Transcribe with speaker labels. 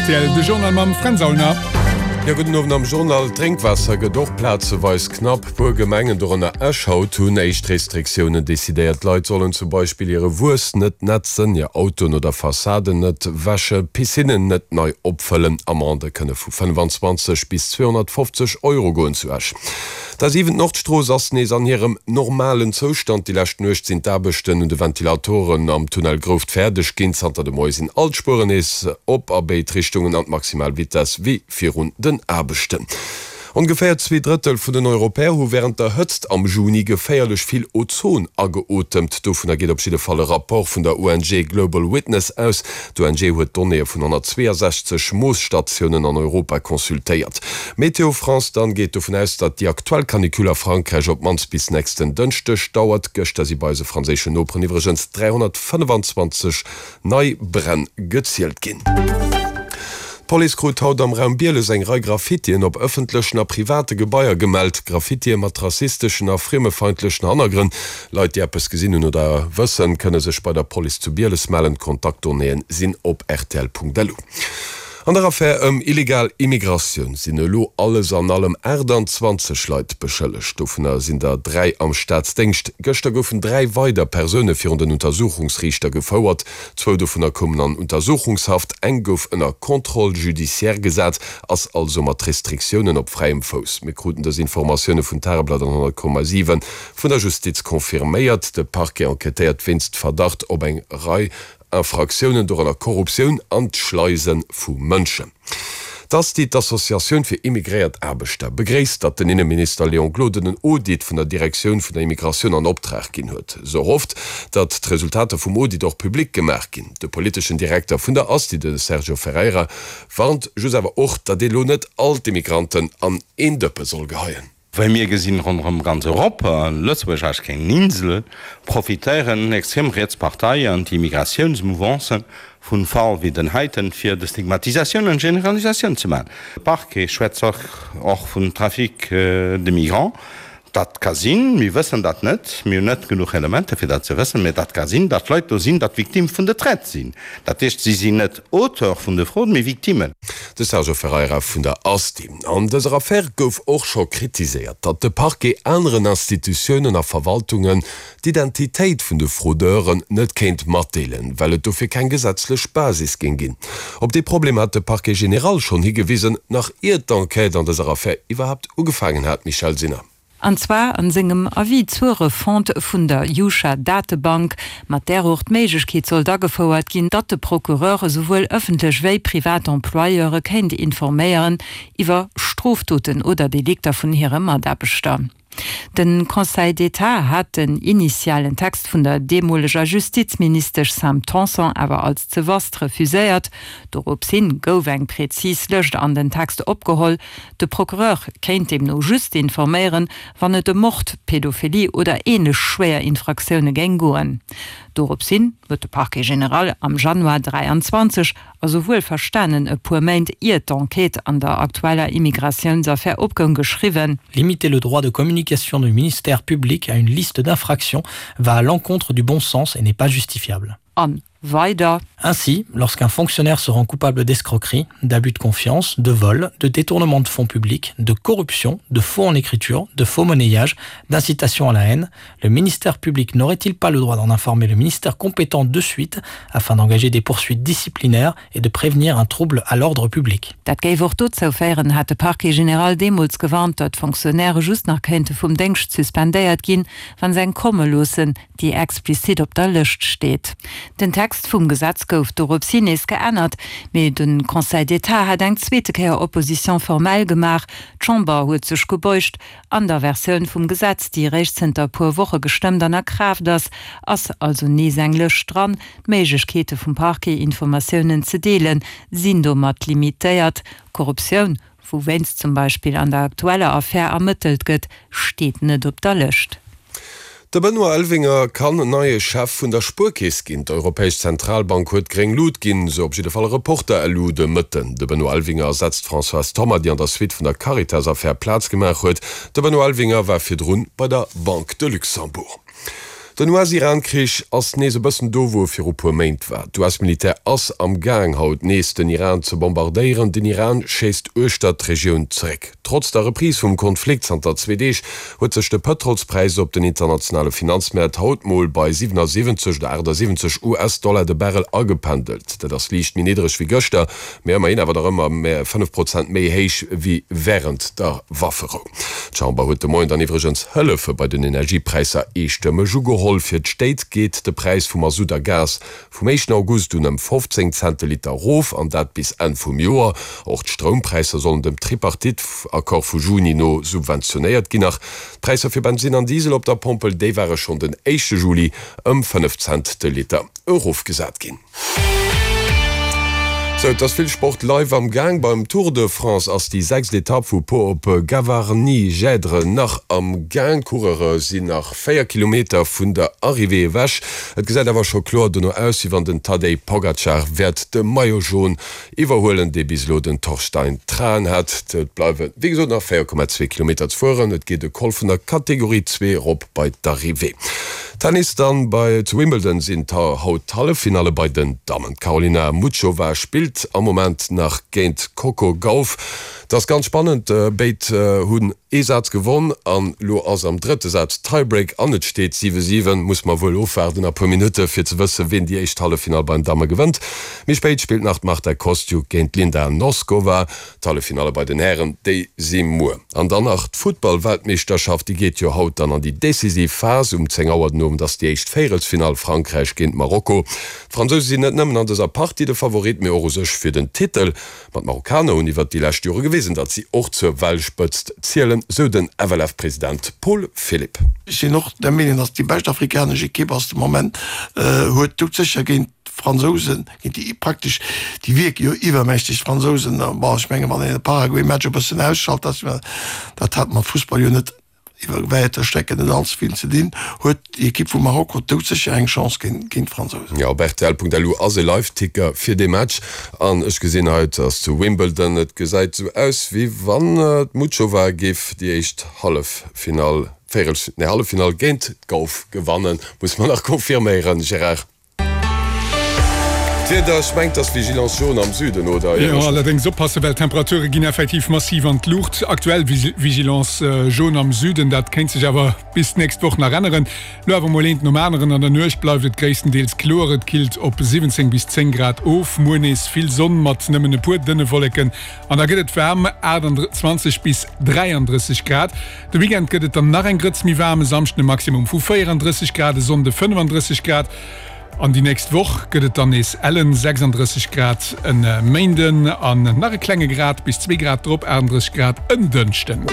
Speaker 1: rtl, de Journal mam Fränz Aulner.
Speaker 2: Jo, gudden Owend am Journal. D'Drénkwaasser gëtt och plazeweis knapp. Puer Gemengen, dorënner Esch haut, hunn éischt Restriktiounen decidéiert. D'Leit sollen zum Beispill hire Wuess net netzen, hir Autoen oder Fassaden net wäschen, Piscinnen net nei opfëllen. Amendë kënne vu 25 bis 250 Euro goen zu Esch. D'A7 Nordstrooss ass nees an hirem normalen Zoustand. Déi lescht Nuecht sinn d'Aarbechten un de Ventilatoren am Tunnel Grouft fäerdeg ginn. Zanter de Moie sinn all d'Spueren nees op a béid Richtungen an d'maximal Vitess wéi virun den Aarbechten. Ongeféier 2/3 vun den Europäer hu wärend der Hëtzt am Juni geféierlech vill Ozon ageotemt. Dovunner geet op jidde Fall e Rapport vun der ONG Global Witness aus. D'ONG huet d'Donnéeë vun 162 Moosstatiounen an Europa consultéiert. Météo France dann geet dovun aus, datt déi aktuell Canicule a Frankräich op d'mannst bis nächsten Dënschdeg dauert. Gëschter si bei eise franséischen Noperen iwwregens 325 nei Bränn gezielt ginn. D'Police krut haut am Raum Bieles eng Rei Graffitien op ëffentlechen a private Gebaier gemellt. Graffitie mat rassisteschen a friemefeindlechen Hannergrënn. Leit, déi eppes gesinn hunn oder wëssen, kënne sech bei der Police zu Bieles mellen. D'Kontaktdonnéeën sinn op rtl.lu. An der Affär ëm illegal Immigratioun sinn elo alles an allem 28 Leit beschëllegt. Dovunner sinn der 3 am Staatsdéngscht. Gëschter goufen 3 weider Persoune virun den Untersuchungsriichter gefouert. Zwou dovunner koumen an Untersuchungshaft, eng gouf ënner Contrôle judiciaire gesat, ass also mat Restriktiounen op fräiem Fouss. Mir kruten dës Informatioune vun Tageblatt an 100,7. Vun der Justiz confirméiert. De Parquet enquêtéiert wéinst Verdacht op eng Rei Infraktiounen, dorënner Korruptioun an d'Schleise vu Mënschen. D'Asti, d'Associatioun fir immigréiert Aarbechter, begréisst, datt den Inneminister Léon Gloden en Audit vun der Direktioun vun der Immigratioun an Optrag ginn huet. Se hofft, datt d'Resultater vum Audit och public gemaach ginn. De politeschen Direkter vun der Asti, de Sergio Ferreira, warnt just awer och, datt ee lo net all d'Immigranten an een Dëppe soll geheien.
Speaker 3: Wéi mir gesinn, ronderëm ganz Europa, Lëtzebuerg ass keng Insel, profitéieren extrem riets Parteien an d'Immigratiounsmouvancen vun Fall wéi den heiten, fir de Stigmatisatioun an Generalisatioun ze maachen. De Parquet schwätzt och vun Trafic de migrants. Dat ka sinn, mir wëssen dat net, mir hunn net genuch Elementer fir dat ze wëssen, mä dat ka sinn, datt Leit do sinn, dat Victime vun de Traite sinn. Dat heescht, si sinn net Auteur vun de Fraude, mee Victimen.
Speaker 2: De Sergio Ferreira vun der Asti. An dëser Affär gouf och scho kritiséiert, datt de Parquet aneren Institutiounen a Verwaltungen d'Identitéit vun de Fraudeuren net kéint matdeelen, well et dofir keng gesetzlech Basis géing ginn. Op dee Problem hat de Parquet général schonn higewisen, nach ier d'Enquête an dëser Affär iwwerhaapt ugefaangen hat, Michèle Sinner.
Speaker 4: An zwar an sengem Avis zur Refonte vun der Jusha-Datebank, mat där och d'Méiglechkeet sollt agefouert ginn, datt de Procureur esouwuel ëffentlech wéi privat Employeure kéint informéieren iwwer Strofdoten oder Delikter vun hire Mataarbechter. De Conseil d'État hat den initialen Text vun der deemoleger Justizministesch Sam Tanson awer als ze vast refuséiert. Dorops hin gouf eng präzis Lëscht an den Text opgeholl, De Procureur kéint deemno just informéieren, wann et ëm Mord, Pädophilie oder änlech schwéier Infraktioune géing goen. Dorops hin huet de Parquet général am Januar 23, also wuelverstanen e puer Méint ier d'Enquête an der aktueller Immigratiounsaffär opgoung, geschriwwen.
Speaker 5: Limiter le droit de communication du ministère public à une liste d'infractions va à l'encontre du bon sens et n'est pas justifiable.
Speaker 4: An weider.
Speaker 5: Ainsi, lorsqu'un fonctionnaire se rend coupable d'escroquerie, d'abus de confiance, de vol, de détournement de fonds publics, de corruption, de faux en écriture, de faux monnayage, d'incitation à la haine, le ministère public n'aurait-il pas le droit d'en informer le ministère compétent de suite afin d'engager des poursuites disciplinaires et de prévenir un trouble à l'ordre public?
Speaker 4: Dat géif och dozou féieren, hat de Parquet général deemools gewarnt, datt Fonctionnairë just nach kéinte vum Déngscht suspendéiert ginn, wa se eng komme loossen, déi explizit op der Lëscht steet. Den Text vum Gesetz gouf doropshi nees geännert, mee de Conseil d'État hat eng zweete Kéier Opposition formelle gemaach. D'Chamber huet sech gebeugt. An der Versioun vum Gesetz, déi eréischt zënter e puer Woche gestëmmt an a Kraaft ass, ass also nees eng Lëscht dran. D'Méiglechkeete vum Parquet, Informatiounen ze deelen, sinn domat limitéiert. Korruptioun, wou wéinst zum Beispill an der aktueller Affär ermëttelt gëtt, steet net op der Lëscht.
Speaker 2: De Benoît Elvinger kann neie Chef vun der Spuerkeess ginn. D'Europäesch Zentralbank huet gréng Lut ginn, sou op jidde Fall e Reporter elo de Mëtten. De Benoît Elvinger ersetzt d'Françoise Thoma, déi an der Suite vun der Caritas-Affär Plaz gemaach huet. De Benoît Elvinger war virdrun bei der Banque de Luxembourg. Den US-Iran-Krich ass nees e bëssen do, wou e viru puer Méint war. D'US-Militär ass am Gaang, haut nees den Iran ze bombardéieren. Den Iran schéisst uechter d'Regioun zeréck. Trotz der Reprise vum Konflikt zanter zwee Deeg huet sech de Pëtrolspräis op den internationale Finanzmäert haut mol bei 77 oder 78 US-Dollar de Barrel agependelt. Dat ass liicht méi niddreg wéi gëschter, mee ëmmerhin awer nach ëmmer 5 Prozent méi héich wéi wärend der Wafferou. D'Chamber huet de Moien dann iwwregens Hëllefe bei den Energiepräisser eestëmmeg ugeholl. Fir d'Stéit geet de Präis vu Masutt a Gas vum éischten August un ëm 15 Cent de Liter erof, an dat bis Enn vum Joer. Och d'Stroumpräisser sollen dem Tripartite-Accord vu Juni no subventionéiert ginn. Nach d'Präisser fir Bensinn an Diesel op der Pompel, déi ware schonn den éischte Juli ëm 5 Cent de Liter erofgesat ginn. Sou, et ass vill Sport live am Gaang. Beim Tour de France ass déi sechst Etapp vu Pau op Gavarnie-Gèdre nach am Gaang. D'Coureure sinn nach 4 Kilometer vun der Arrivée ewech. Et gesäit awer scho kloer dono aus, wéi wann den Tadej Pogacar wäert de Maillot Jaune iwwerhuelen, dee bis elo den Torstein Traen hat. Et bleiwe wéi gesot nach 4,2 Kilometer ze fueren. Et geet e Col vun der Kategorie 2 erop bei d'Arrivée. Tennis dann, Bei zu Wimbledon sinn haut d'Halleffinalle bei den Dammen. D'Karolina Muchova spillt am Moment nach géint d'Coco Gauff. Et ass ganz spannend, béid hunn ee Saz gewonn an lo ass am drëtte Saz Tiebreak an et steet 7, 7. Muss mer wuel ofwaarden a puer Minutte fir ze wësse ween déi éischt Halleffinall beim Damme gewënnt. Méi spéit spillt nach d'Marta Kostyuk géint d'Linda Noskova. D'Halleffinalle bei den Hären, déi si muer. An dann nach d'Futtball-Weltmeeschterschaft, déi geet jo haut dann an déi decisiv Phas. Um 10 Auer den Owend ass déi éischt Véierelsfinall, Frankräich géint Marokko. D'Fransouse sinn net nëmmen an dëser Partie de Favorit, mee och u sech fir den Titel. Ma d'Marokkaner hunn iwwert déi lescht Jore gewisen, datt si och zur Weltspëtzt zielen, sou den FLF-President Paul Philipp.
Speaker 6: Ech sinn och der Meenung, datt déi bescht afrikanesch Ekipp ass de Moment, huet doudsécher géint d'Fransousen, géint déi praktesch, déi wierke jo iwwermächteg, d'Fransousen. Bon, ech menge wann een de Paraguay-Match e bëssen ausschalt, dat dat hat mat Fussball jo net iwwer wäiter Strecken net allze vill ze dinn, huet déi Ekipp vu Marokko doudsécher eng Chance géint d'Fransousen.
Speaker 2: Jo, op rtl.lu ass e Live-Ticker fir dee Match an ech gesinn hei, et ass zu Wimbledon, et gesäit esou aus wéi wann d'Muchova géif déi éischt Halleffinall, Véierel, nee Halleffinall géint d'Gauff gewannen. Muss mer nach confirméieren, Gérard. D'Wieder, ech mengt dass Vigilance jaune am Süden, oder?
Speaker 1: Jo, allerdéngs oppassen, well d'Temperature ginn effektiv massiv an d'Luucht. Aktuell Vigilance jaune am Süden, dat kéint sech awer bis d'nächst Woch nach änneren. Lo awer mol eent nom aneren, An der Nuecht bleift et gréisstendeels kloer, et killt op 17 bis 10 Grad of. Muer nees vill Sonn mat nëmmen e puer dënne Wolleken an da gëtt et waarm, 28 bis 33 Grad. De Weekend gëtt et dann nach eng Grëtz méi waarm, e Samschden e Maximum vu 34 Grad, e Sonnde 35 Grad an déi nächst Woch gëtt et dann nees ellen 36 Grad e Méinden an nach e klenge Grad bis zwee Grad drop, 38 Grad en Dënschden.